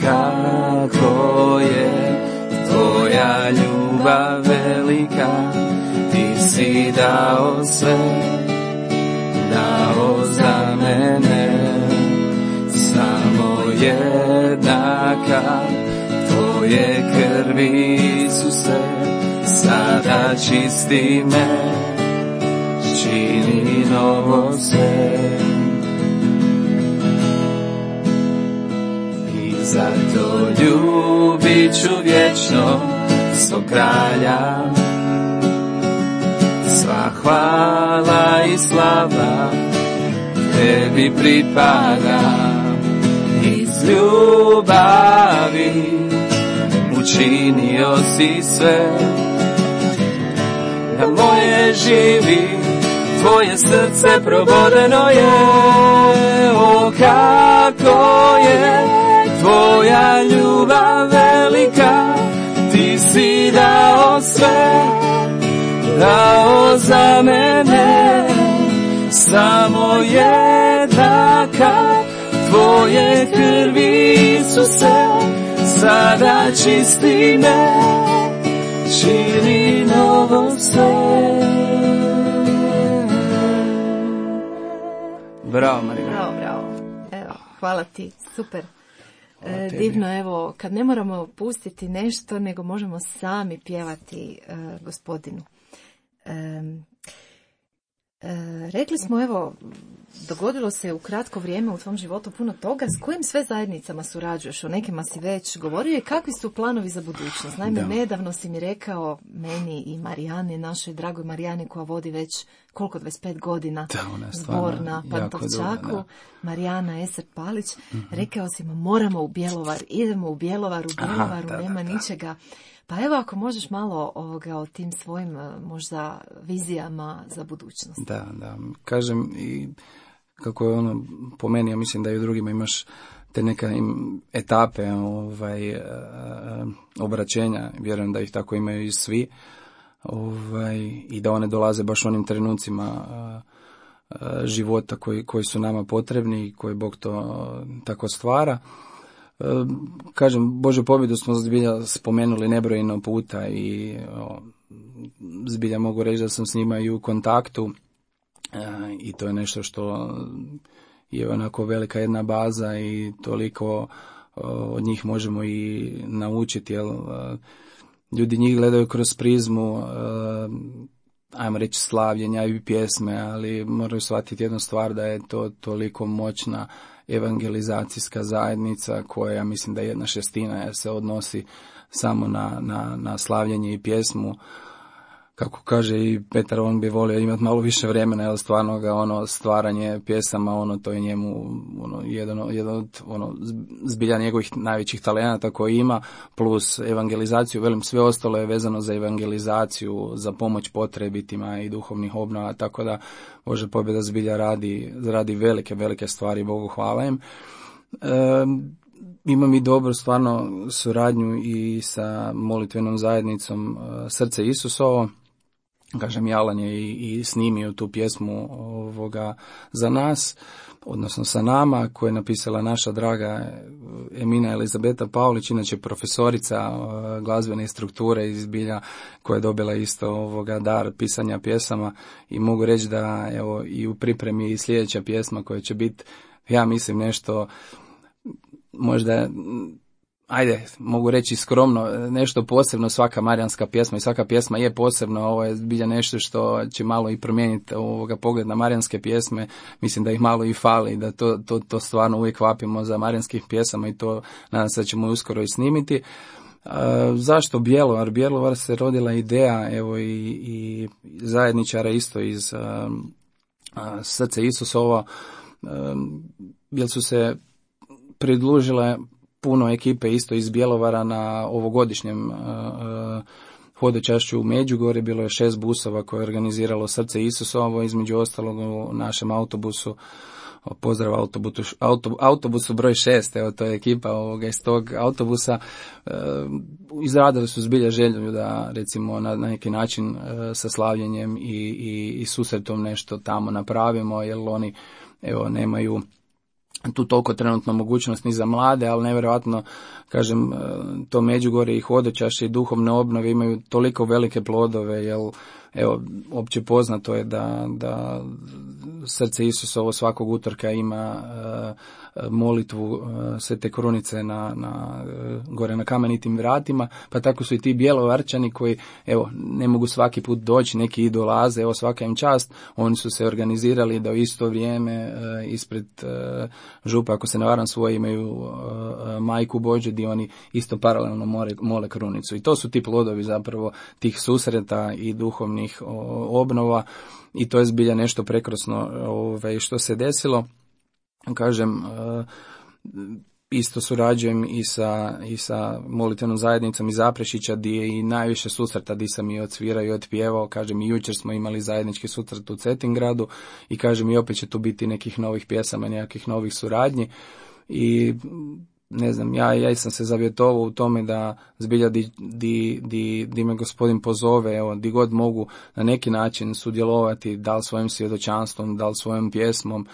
Kako je tvoja ljubav velika, ti si dao sve, dao za mene. Samo jednaka tvoje krvi Isuse, sada čisti me, čini novo sve. Zato ljubit ću vječno svog kralja, sva hvala i slava tebi pripada. Iz ljubavi učinio si sve, da moje živi, tvoje srce probodeno je. O kako je tvoja ljubav velika, ti si dao sve, dao za mene. Samo jednaka tvoje krvi Isuse, sada čisti me, čini novo sve. Bravo, Marina. Bravo. Evo, hvala ti, super. Divno, evo, kad ne moramo pustiti nešto, nego možemo sami pjevati Gospodinu. Rekli smo, evo, dogodilo se u kratko vrijeme u tvom životu puno toga. S kojim sve zajednicama surađuješ? O nekima si već govorio i kakvi su planovi za budućnost? Naime, nedavno si mi rekao meni i Marijani, našoj dragoj Marijani koja vodi već 25 godina zbor na Pantovčaku, Marijana Eser-Palić, rekao si mu moramo u Bjelovar, idemo u Bjelovaru, nema ničega. Pa evo ako možeš malo o tim svojim možda vizijama za budućnost. Da. Kažem i kako je ono po meni, ja mislim da i u drugima imaš te neke etape obraćenja, vjerujem da ih tako imaju i svi, i da one dolaze baš u onim trenucima života koji su nama potrebni i koji Bog to tako stvara. Kažem, Božju pobjedu smo zbilja spomenuli nebrojeno puta i zbilja mogu reći da sam s njima i u kontaktu i to je nešto što je onako velika jedna baza i toliko od njih možemo i naučiti, jer ljudi njih gledaju kroz prizmu ajmo reći slavljenja i pjesme, ali moraju shvatiti jednu stvar, da je to toliko moćna evangelizacijska zajednica koja, ja mislim da je 1/6 se odnosi samo na slavljenje i pjesmu. Kako kaže i Petar, on bi volio imati malo više vremena, jer stvarno ga stvaranje pjesama, to je njemu jedan od zbilja njegovih najvećih talenata koji ima, plus evangelizaciju, velim, sve ostalo je vezano za evangelizaciju, za pomoć potrebitima i duhovnih obnova, tako da Božja pobjeda zbilja radi velike stvari, Bogu hvala im. Imam i dobru stvarno suradnju i sa molitvenom zajednicom Srce Isusovo. Kažem, Jalan je i snimio tu pjesmu za nas, odnosno sa nama, koju je napisala naša draga Emina Elizabeta Paulić, inače profesorica glazbene strukture iz Bilja, koja je dobila isto dar pisanja pjesama, i mogu reći da evo i u pripremi i sljedeća pjesma koja će biti, ja mislim, nešto možda, mogu reći skromno, nešto posebno. Svaka marijanska pjesma i svaka pjesma je posebno, ovo je zbilja nešto što će malo i promijeniti pogled na marijanske pjesme. Mislim da ih malo i fali, da to stvarno uvijek vapimo za marijanskih pjesama i to nadam se da ćemo uskoro i snimiti. Zašto Bjelovar? Bjelovar se rodila ideja, evo i zajedničara isto iz Srce Isusovo, jer su se pridružile puno ekipe isto iz Bjelovara na ovogodišnjem hodočašću u Međugorje. Bilo je 6 busova koje je organiziralo Srce Isusovo, između ostalog u našem autobusu, pozdrav autobusu broj 6, evo to je ekipa iz tog autobusa, izradili su zbilja želju da recimo na neki način sa slavljenjem i susretom nešto tamo napravimo, jer oni nemaju tu toliko trenutno mogućnost ni za mlade, ali nevjerojatno, kažem, to Međugorje i hodočašće i duhovne obnove imaju toliko velike plodove, jer evo, opće poznato je da Srce Isusovo svakog utorka ima molitvu Svete Krunice gore na Kamenitim vratima, pa tako su i ti Bjelovarčani koji, evo, ne mogu svaki put doći, neki i dolaze, evo, svaka im čast, oni su se organizirali da u isto vrijeme ispred župa, ako se ne varam, svoje imaju Majku Božju, gdje oni isto paralelno mole krunicu. I to su ti plodovi zapravo tih susreta i duhovnih obnova, i to je zbilja nešto prekrasno što se desilo. Kažem, isto surađujem i sa molitvenom zajednicom iz Zaprešića, gdje je i najviše susreta gdje sam i odsvirao i otpjevao. Kažem, i jučer smo imali zajednički susret u Cetingradu i kažem, i opet će tu biti nekih novih pjesama, nekakvih novih suradnji. I ne znam, ja sam se zavjetovao u tome da zbilja di me Gospodin pozove, evo, di god mogu na neki način sudjelovati, da li svojim svjedočanstvom, da li svojom pjesmom,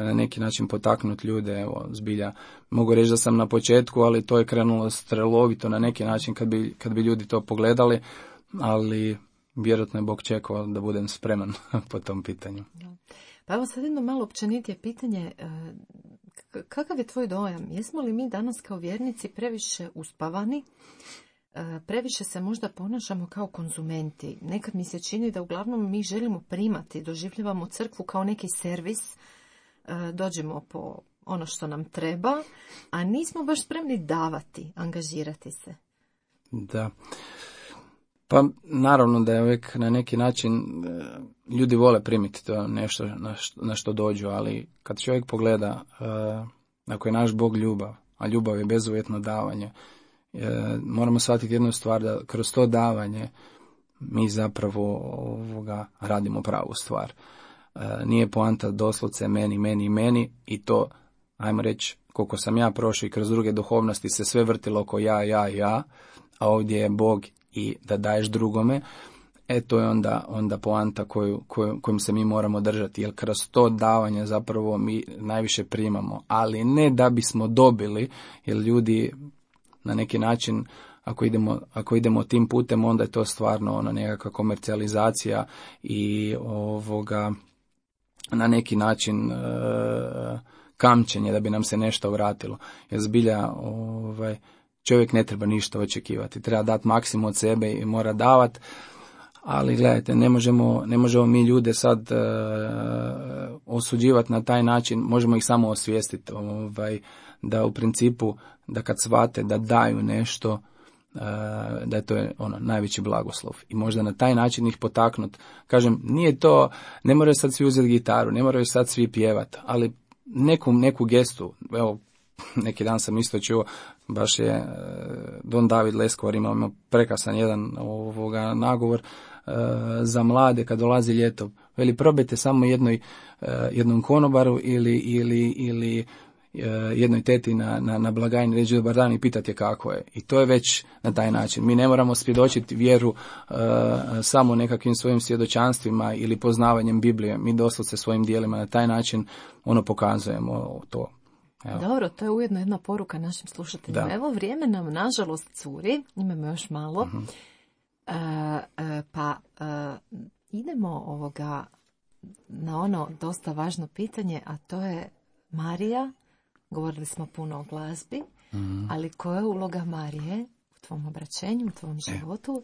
na neki način potaknuti ljude, evo, zbilja. Mogu reći da sam na početku, ali to je krenulo strelovito na neki način kad bi ljudi to pogledali, ali vjerojatno je Bog čekao da budem spreman po tom pitanju. Pa evo sad jedno malo općenitije pitanje. Kakav je tvoj dojam? Jesmo li mi danas kao vjernici previše uspavani? Previše se možda ponašamo kao konzumenti. Nekad mi se čini da uglavnom mi želimo primati, doživljavamo crkvu kao neki servis, dođemo po ono što nam treba, a nismo baš spremni davati, angažirati se. Da. Pa naravno da je uvijek na neki način ljudi vole primiti to nešto na što dođu, ali kad čovjek pogleda, ako je naš Bog ljubav, a ljubav je bezuvjetno davanje, moramo shvatiti jednu stvar, da kroz to davanje mi zapravo radimo pravu stvar. Nije poanta doslovce meni i to, ajmo reći, koliko sam ja prošao i kroz druge duhovnosti se sve vrtilo oko ja, a ovdje je Bog i da daješ drugome, to je onda poanta kojom se mi moramo držati, jer kroz to davanje zapravo mi najviše primamo, ali ne da bismo dobili, jer ljudi na neki način, ako idemo tim putem, onda je to stvarno nekakva komercijalizacija i na neki način kamčenje da bi nam se nešto vratilo. Jer zbilja čovjek ne treba ništa očekivati, treba dati maksimum od sebe i mora davati, ali gledajte, ne možemo mi ljude sad osuđivati na taj način, možemo ih samo osvijestiti, da u principu, da kad shvate da daju nešto, da je to najveći blagoslov i možda na taj način ih potaknuti. Kažem, nije to, ne moraju sad svi uzeti gitaru, ne moraju sad svi pjevati, ali neku gestu, evo, neki dan sam isto čuo, baš je Don David Leskovar imao prekrasan jedan nagovor za mlade kad dolazi ljeto. Veli, probajte samo jednom konobaru ili jednoj teti na blagajni reći dobar dan i pitati je kako je. I to je već na taj način. Mi ne moramo svjedočiti vjeru samo nekakvim svojim svjedočanstvima ili poznavanjem Biblije. Mi doslovce svojim dijelima na taj način pokazujemo to. Evo. Dobro, to je ujedno jedna poruka našim slušateljima. Da. Evo, vrijeme nam nažalost curi, imamo još malo, idemo na ono dosta važno pitanje, a to je Marija. Govorili smo puno o glazbi, ali koja je uloga Marije u tvom obraćenju, u tvom životu?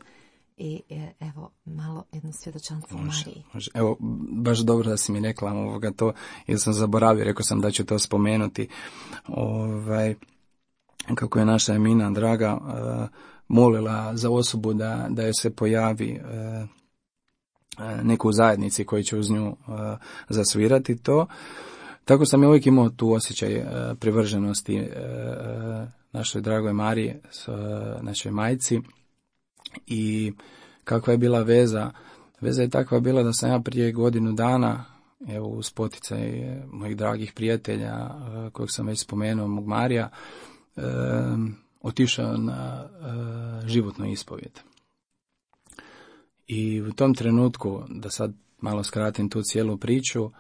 I evo, malo jedno svjedočanstvo Mariji. Može. Evo, baš dobro da si mi rekla to, jer sam zaboravio, rekao sam da ću to spomenuti. Kako je naša Emina draga molila za osobu da joj se pojavi neku u zajednici koji će uz nju zasvirati to. Tako sam ja uvijek imao tu osjećaj privrženosti našoj dragoj Mariji, našoj majci. I kakva je bila veza? Veza je takva bila da sam ja prije godinu dana, evo uz poticaj mojih dragih prijatelja, kojeg sam već spomenuo, mog Marija, otišao na životnu ispovijed. I u tom trenutku, da sad malo skratim tu cijelu priču,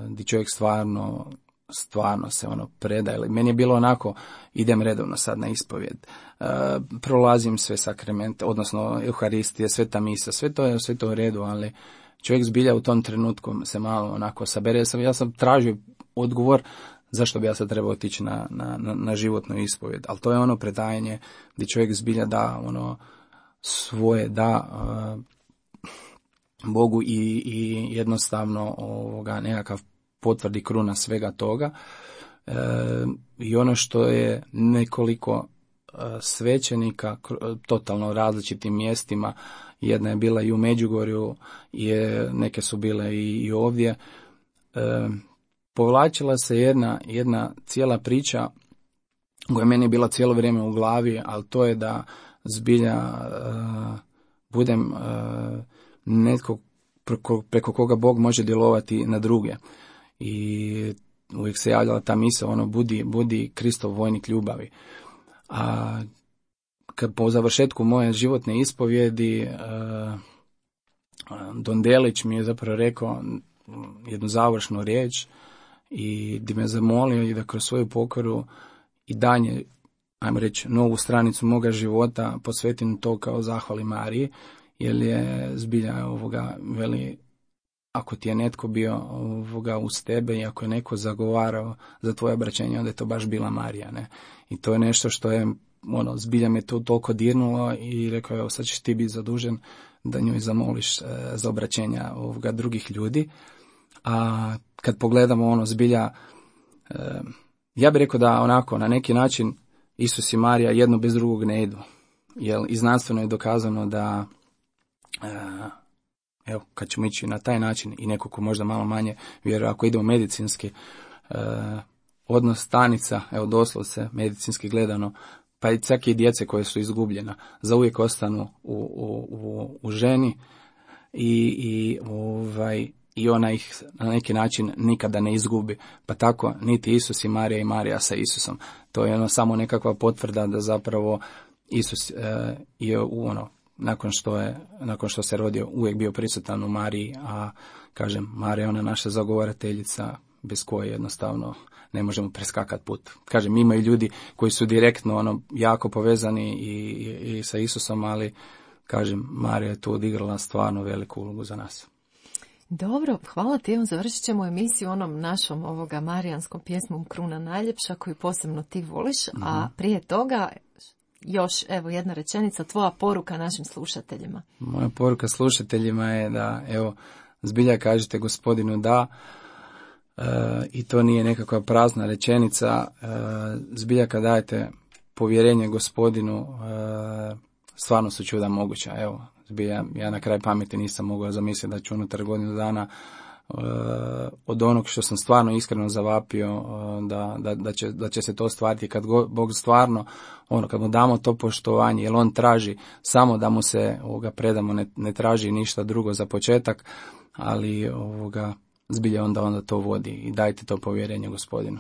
gdje čovjek stvarno se predaje. Meni je bilo onako, idem redovno sad na ispovijed, prolazim sve sakramente, odnosno Euharistije, sveta misa, sve to u redu, ali čovjek zbilja u tom trenutku se malo onako sabere. Ja sam tražio odgovor zašto bi ja sad trebao otići na životnu ispovijed, ali to je predajanje gdje čovjek zbilja da svoje Bogu i jednostavno nekakav potvrdi kruna svega toga. I ono što je nekoliko svećenika totalno različitim mjestima, jedna je bila i u Međugorju, neke su bile i ovdje, povlačila se jedna cijela priča koja je meni bila cijelo vrijeme u glavi, ali to je da zbilja budem netko preko koga Bog može djelovati na druge. I uvijek se javljala ta misao, ono, budi Kristov vojnik ljubavi. A kad po završetku moje životne ispovjedi, Don Delić mi je zapravo rekao jednu završnu riječ i di me zamolio i da kroz svoju pokoru i danje, ajmo reći, novu stranicu moga života posvetim to kao zahvali Mariji, jer je zbilja veli, ako ti je netko bio uz tebe i ako je neko zagovarao za tvoje obraćenje, onda je to baš bila Marija, ne? I to je nešto što je, zbilja me to toliko dirnulo i rekao, evo sad ćeš ti biti zadužen da njoj zamoliš za obraćenja drugih ljudi. A kad pogledamo zbilja, ja bih rekao da onako na neki način Isus i Marija jedno bez drugog ne idu. Jer i znanstveno je dokazano da evo, kad ćemo ići na taj način i neko ko možda malo manje vjeruje, ako idemo medicinski, odnos stanica, evo doslovce medicinski gledano, pa i čak i djece koje su izgubljena, zauvijek ostanu u ženi i ona ih na neki način nikada ne izgubi. Pa tako niti Isus i Marija sa Isusom. To je samo nekakva potvrda da zapravo Isus je nakon što se rodio uvijek bio prisutan u Mariji, a kažem, Marija je ona naša zagovarateljica bez koje jednostavno ne možemo preskakati put. Kažem, imaju ljudi koji su direktno jako povezani i sa Isusom, ali kažem, Marija je tu odigrala stvarno veliku ulogu za nas. Dobro, hvala ti. Evo, završit ćemo emisiju onom našom marijanskom pjesmom Kruna najljepša koju posebno ti voliš, a prije toga još evo jedna rečenica, tvoja poruka našim slušateljima. Moja poruka slušateljima je da evo zbilja kažete Gospodinu da, i to nije nekakva prazna rečenica, zbilja kad dajete povjerenje Gospodinu, stvarno su čuda moguća. Evo, zbilja, ja na kraj pameti nisam mogao zamisliti da ću unutar godinu dana od onog što sam stvarno iskreno zavapio, da će se to ostvariti kad Bog stvarno, kad mu damo to poštovanje, jer on traži samo da mu se predamo, ne traži ništa drugo za početak, ali zbilja onda to vodi i dajte to povjerenje Gospodinu.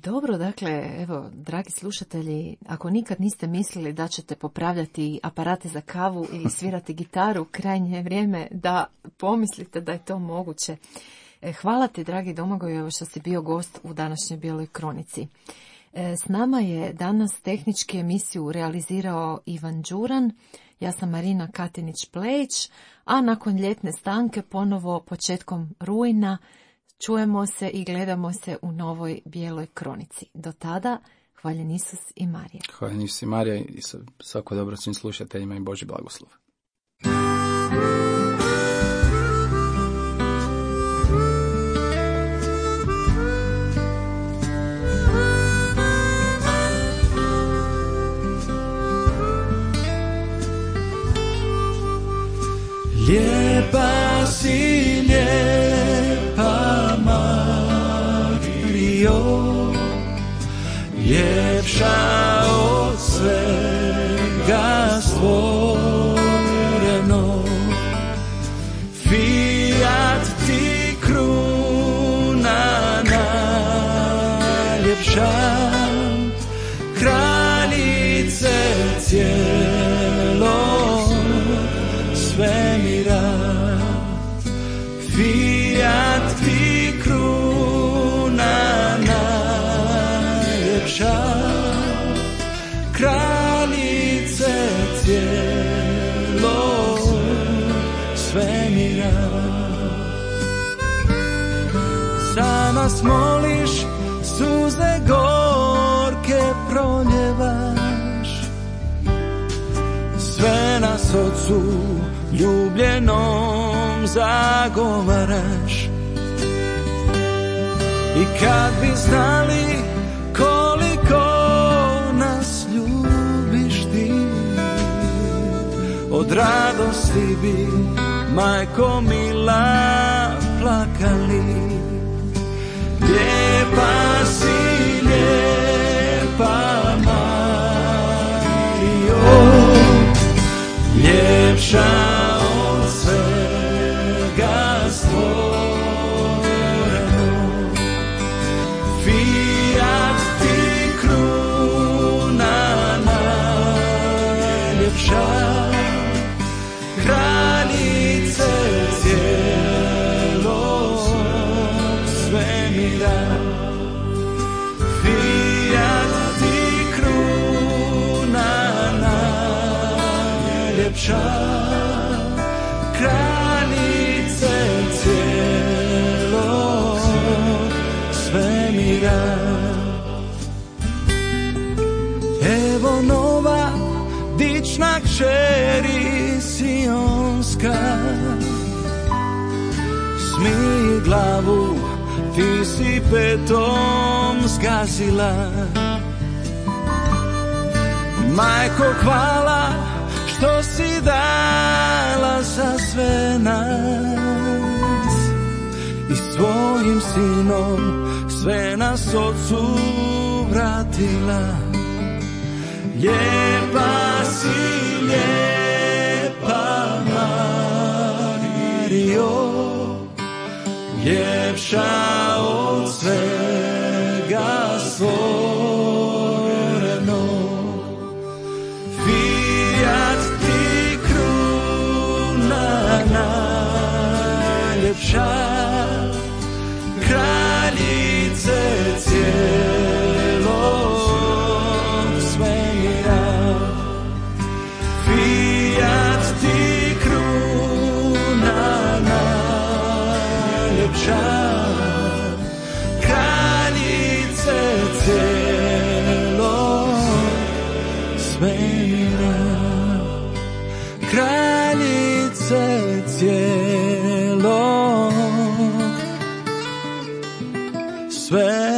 Dobro, dakle, evo, dragi slušatelji, ako nikad niste mislili da ćete popravljati aparate za kavu ili svirati gitaru, krajnje je vrijeme da pomislite da je to moguće. Hvala ti, dragi Domagoj, evo što si bio gost u današnjoj Bijeloj kronici. S nama je danas tehnički emisiju realizirao Ivan Đuran, ja sam Marina Katinić-Plejić, a nakon ljetne stanke ponovo početkom rujna čujemo se i gledamo se u novoj Bijeloj kronici. Do tada, hvaljen Isus i Marija. Hvaljen Isus i Marija i svako dobro svim slušateljima i Božji blagoslov. Lijepa si, lijepa Marijo, ljepša od svega stvoreno. Fiat ti kruna najljepša, kraljice cijelog svemira. Fiat ti kruna najljepša, kraljice cijelog svemira. Za nas moliš, suze gorke proljevaš, sve nas Otcu ljubljenom zagovaraš. I kad bi znali koliko nas ljubiš ti, od radosti bi, majko mila, plakali. Lijepa si, lijepa Marijo, ljepša od svega stvoreno. ljepša, kraljice cijelog svemira. Evo nova dična kćeri sionska, smij glavu, ti si petom zgazila. Majko, hvala što si dala za sve nas i svojim sinom sve nas Otcu vratila. Lijepa si, lijepa Marijo, ljepša od svega stvoreno. Fiat ti kruna najljepša, kraljice cijelog svemira. Fiat ti kruna najljepša, kraljice cijelog svemira. Kraljice cijelog svemira.